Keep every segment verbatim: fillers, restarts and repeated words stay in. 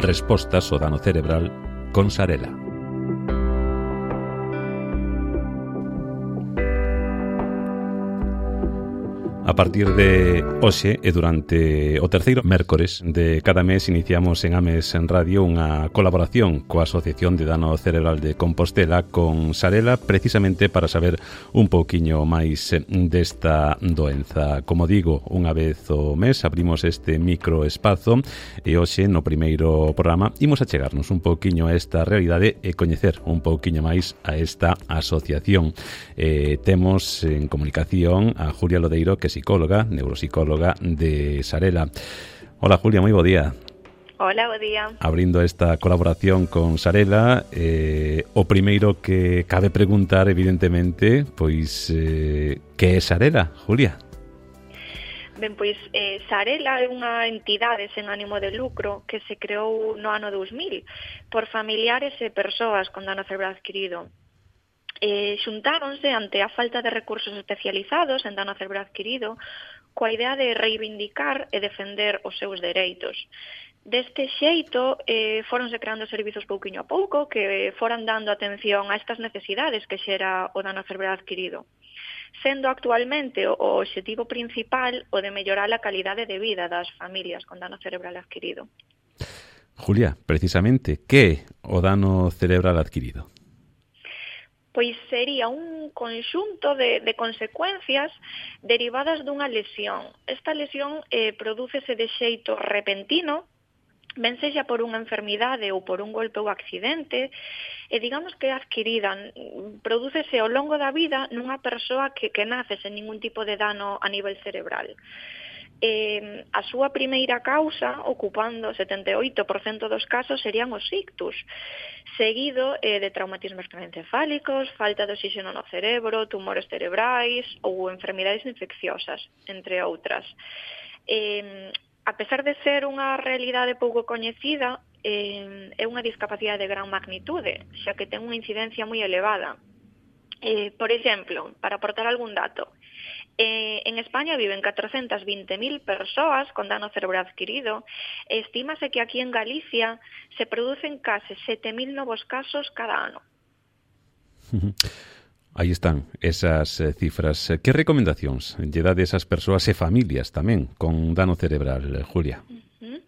Respostas ao dano cerebral con Sarela. A partir de hoxe e durante o terceiro mércores de cada mes iniciamos en Ames en Radio unha colaboración coa Asociación de Dano Cerebral de Compostela con Sarela, precisamente para saber un pouquiño máis desta doenza. Como digo, unha vez o mes abrimos este microespazo e hoxe no primeiro programa imos a chegarnos un pouquiño a esta realidade e coñecer un pouquiño máis a esta asociación. Eh, temos en comunicación a Julia Lodeiro, que psicóloga, neuropsicóloga de Sarela. Hola Julia, moi bo día. Hola, bo día. Abrindo esta colaboración con Sarela, eh, o primeiro que cabe preguntar, evidentemente, pois, eh, que é Sarela, Julia? Ben, pois, eh, Sarela é unha entidade sen ánimo de lucro que se creou no ano dous mil por familiares e persoas con dano cerebral adquirido. Eh, xuntáronse ante a falta de recursos especializados en dano cerebral adquirido coa idea de reivindicar e defender os seus dereitos. Deste xeito, eh, foronse creando servizos pouquiño a pouco que foran dando atención a estas necesidades que xera o dano cerebral adquirido, sendo actualmente o obxectivo principal o de mellorar a calidade de vida das familias con dano cerebral adquirido. Julia, precisamente, que é o dano cerebral adquirido? Pois sería un conxunto de, de consecuencias derivadas dunha lesión. Esta lesión eh, prodúcese de xeito repentino, ben sexa por unha enfermidade ou por un golpe ou accidente, e digamos que é adquirida, prodúcese ao longo da vida nunha persoa que, que nace sen ningún tipo de dano a nivel cerebral. Eh, a súa primeira causa, ocupando o setenta e oito por cento dos casos, serían os ictus, seguido eh, de traumatismos craneoencefálicos, falta de oxígeno no cerebro, tumores cerebrais ou enfermidades infecciosas, entre outras. Eh, a pesar de ser unha realidade pouco coñecida, eh, é unha discapacidade de gran magnitude, xa que ten unha incidencia moi elevada. Eh, por exemplo, para aportar algún dato, Eh, en España viven catrocentas vinte mil persoas con dano cerebral adquirido e estímase que aquí en Galicia se producen case sete mil novos casos cada ano. Aí están esas eh, cifras. Que recomendacións lle dá desas persoas e familias tamén con dano cerebral, Julia? Uh-huh.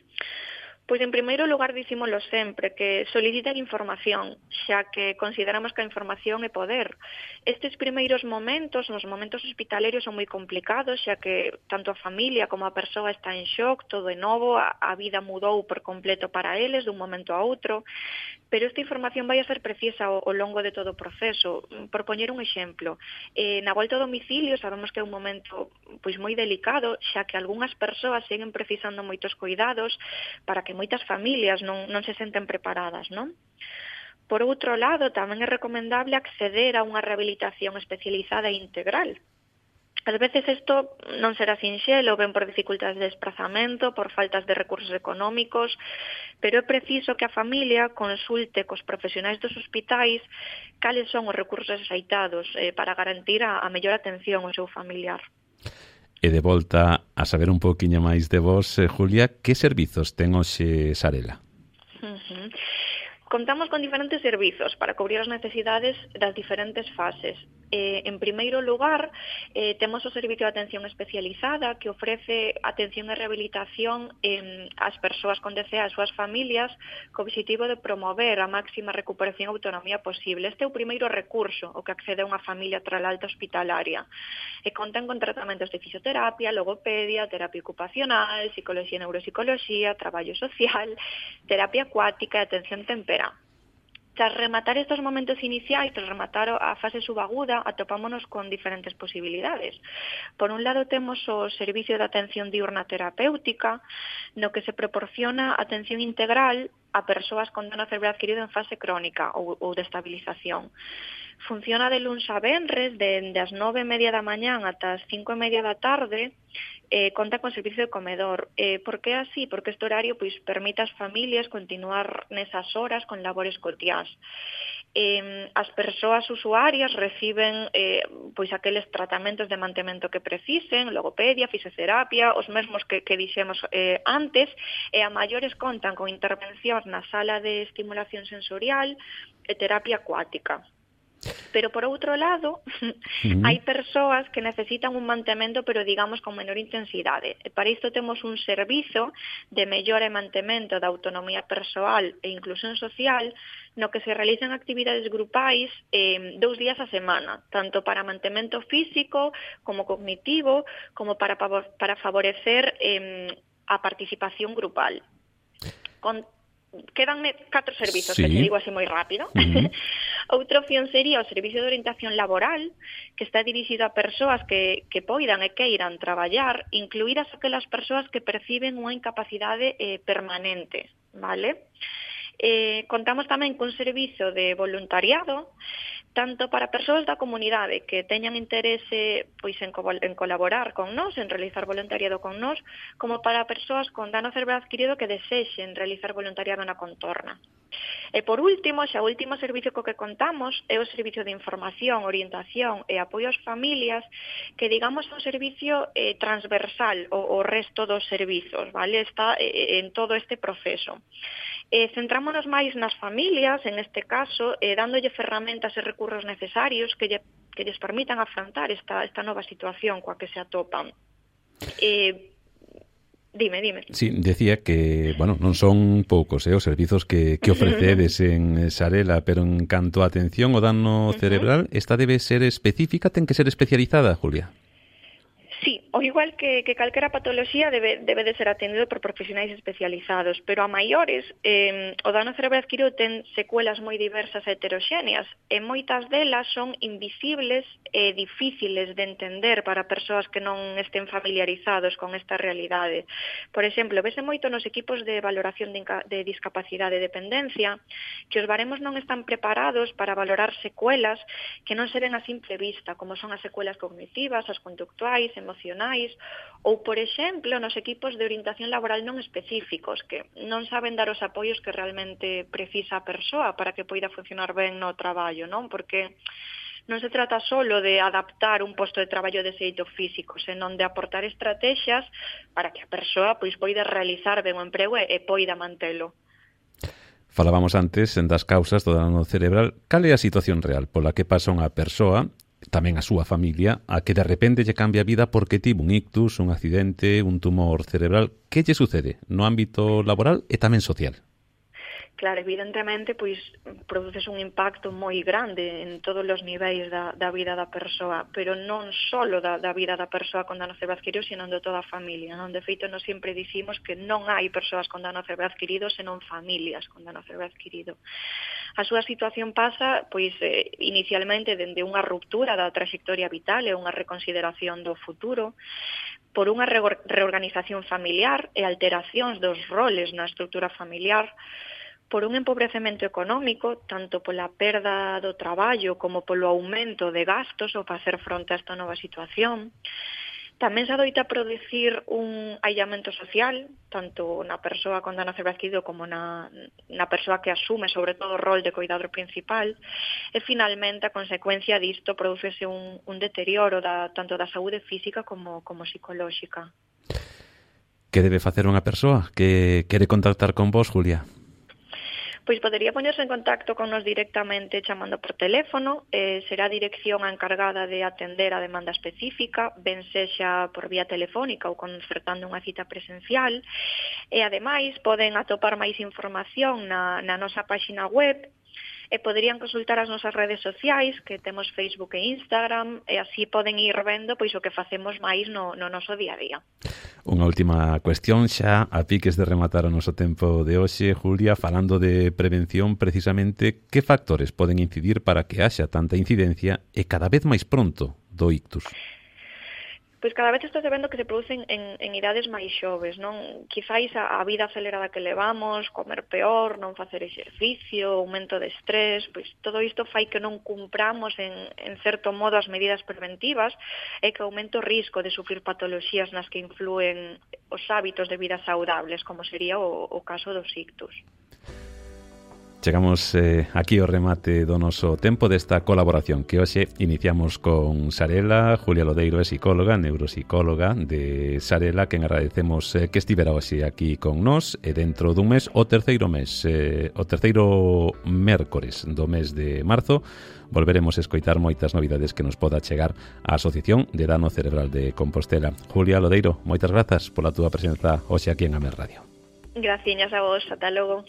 Pois, en primeiro lugar, dicímolo sempre, que soliciten información, xa que consideramos que a información é poder. Estes primeiros momentos, nos momentos hospitalarios, son moi complicados, xa que tanto a familia como a persoa está en shock, todo é novo, a, a vida mudou por completo para eles dun momento a outro, pero esta información vai a ser precisa ao, ao longo de todo o proceso. Por poñer un exemplo, eh, na volta ao domicilio sabemos que é un momento pois moi delicado, xa que algunhas persoas seguen precisando moitos cuidados para que moitas familias non, non se senten preparadas, non? Por outro lado, tamén é recomendable acceder a unha rehabilitación especializada e integral. Ás veces isto non será sinxelo, ben por dificultades de desplazamento, por faltas de recursos económicos, pero é preciso que a familia consulte cos profesionais dos hospitais cales son os recursos axeitados eh, para garantir a, a mellor atención ao seu familiar. E de volta a saber un pouquiño máis de vos, eh, Julia, que servizos ten hoxe Sarela? Uh-huh. Contamos con diferentes servizos para cubrir as necesidades das diferentes fases. Eh, en primeiro lugar, eh, temos o Servicio de Atención Especializada que ofrece atención e rehabilitación eh, ás persoas con D C A e ás súas familias co objetivo de promover a máxima recuperación e autonomía posible. Este é o primeiro recurso o que accede a unha familia tras a alta hospitalaria. E contan con tratamentos de fisioterapia, logopedia, terapia ocupacional, psicología e neuropsicoloxía, traballo social, terapia acuática e atención temperá. Tras rematar estos momentos iniciais, tras rematar a fase subaguda, atopámonos con diferentes posibilidades. Por un lado, temos o Servicio de Atención Diurna Terapéutica, no que se proporciona atención integral a persoas con dano cerebral adquirido en fase crónica ou, ou de estabilización. Funciona de luns a venres, de, de as nove e media da mañán ata as cinco e media da tarde, eh, conta con servicio de comedor. Eh, por que así? Porque este horario pois, permite ás familias continuar nesas horas con labores cotiás. Eh, as persoas usuarias reciben eh, pois aqueles tratamentos de mantemento que precisen, logopedia, fisioterapia, os mesmos que, que dixemos eh, antes, e a maiores contan con intervencións na sala de estimulación sensorial e terapia acuática. Pero, por outro lado, uh-huh. hai persoas que necesitan un mantemento, pero, digamos, con menor intensidade. E para isto temos un servizo de mellora e mantemento da autonomía persoal e inclusión social no que se realizan actividades grupais eh, dous días a semana, tanto para mantemento físico como cognitivo, como para, para favorecer eh, a participación grupal. Con Quedanme catro servizos, sí. Que te digo así moi rápido. Uh-huh. Outra opción sería o servicio de orientación laboral, que está dirixido a persoas que, que poidan e queiran traballar, incluídas aquelas persoas que perciben unha incapacidade eh, permanente, vale? Eh, contamos tamén cun servizo de voluntariado, tanto para persoas da comunidade que teñan interese pois en, co- en colaborar con nós, en realizar voluntariado con nós, como para persoas con dano cerebral adquirido que desexen realizar voluntariado na contorna. E por último, xa o último servicio co que contamos é o servicio de información, orientación e apoio ás familias, que digamos é un servicio eh, transversal ao, ao resto dos servizos, vale? Está eh, en todo este proceso. Eh, centrámonos máis nas familias, en este caso, eh, dándolle ferramentas e recursos necesarios que, lle, que lles permitan afrontar esta, esta nova situación coa que se atopan. Eh, dime, dime. Sí, decía que, bueno, non son poucos eh, os servizos que, que ofrecedes en Xarela, pero en canto a atención ao dano cerebral, esta debe ser específica, ten que ser especializada, Julia? Sí, o igual que, que calquera patoloxía debe, debe de ser atendido por profesionais especializados, pero a maiores eh, o dano cerebral adquirido ten secuelas moi diversas e heteroxéneas e moitas delas son invisibles e difíciles de entender para persoas que non estén familiarizados con esta realidade. Por exemplo, vese moito nos equipos de valoración de, de discapacidade e dependencia que os baremos non están preparados para valorar secuelas que non se ven a simple vista, como son as secuelas cognitivas, as conductuais, emocionais, ou, por exemplo, nos equipos de orientación laboral non específicos, que non saben dar os apoios que realmente precisa a persoa para que poida funcionar ben no traballo, non? Porque non se trata solo de adaptar un posto de traballo de xeito físico, senón de aportar estrategias para que a persoa pois poida realizar ben o emprego e, e poida mantelo. Falábamos antes das causas do dano cerebral. Cal é a situación real pola que pasa unha persoa, tamén a súa familia, a que de repente lle cambia a vida porque tivo un ictus, un accidente, un tumor cerebral? Que lle sucede no ámbito laboral e tamén social? Claro, evidentemente, pois produces un impacto moi grande en todos os niveis da, da vida da persoa, pero non só da, da vida da persoa con dano cerebral adquirido, senón de toda a familia, non? De feito, nós sempre dicimos que non hai persoas con dano cerebral adquirido, senón familias con dano cerebral adquirido. A súa situación pasa, pois, eh, inicialmente dende unha ruptura da trayectoria vital e unha reconsideración do futuro, por unha reorganización familiar e alteracións dos roles na estrutura familiar, por un empobrecemento económico, tanto pola perda do traballo como polo aumento de gastos ao facer fronte a esta nova situación. Tamén se adoita producir un aillamento social, tanto na persoa con dano cerebral adquirido como na, na persoa que asume sobre todo o rol de cuidador principal, e finalmente a consecuencia disto producese un, un deterioro da, tanto da saúde física como, como psicolóxica. Que debe facer unha persoa que quere contactar con vos, Julia? Pois podería poñerse en contacto con nos directamente chamando por teléfono, eh, será a dirección a encargada de atender a demanda específica, ben sexa por vía telefónica ou concertando unha cita presencial, e ademais poden atopar máis información na, na nosa páxina web, e poderían consultar as nosas redes sociais, que temos Facebook e Instagram, e así poden ir vendo pois o que facemos máis no, no noso día a día. Unha última cuestión xa, a piques de rematar o noso tempo de hoxe, Julia, falando de prevención, precisamente, que factores poden incidir para que haxa tanta incidencia e cada vez máis pronto do ictus? Pois cada vez está vendo que se producen en, en idades máis xoves, non? Quizáis a, a vida acelerada que levamos, comer peor, non facer exercicio, aumento de estrés, pois todo isto fai que non cumpramos en, en certo modo as medidas preventivas e que aumente o risco de sufrir patoloxías nas que influen os hábitos de vida saudables, como sería o, o caso dos ictus. Chegamos eh, aquí ao remate do noso tempo desta colaboración que hoxe iniciamos con Sarela. Julia Lodeiro é psicóloga, neuropsicóloga de Sarela, quen agradecemos eh, que estivera hoxe aquí con nós, e dentro dun mes, o terceiro mes, eh, o terceiro mércores do mes de marzo, volveremos a escoitar moitas novidades que nos poda chegar a Asociación de Dano Cerebral de Compostela. Julia Lodeiro, moitas grazas pola túa presenza hoxe aquí en Ames Radio. Graciñas a vos, ata logo.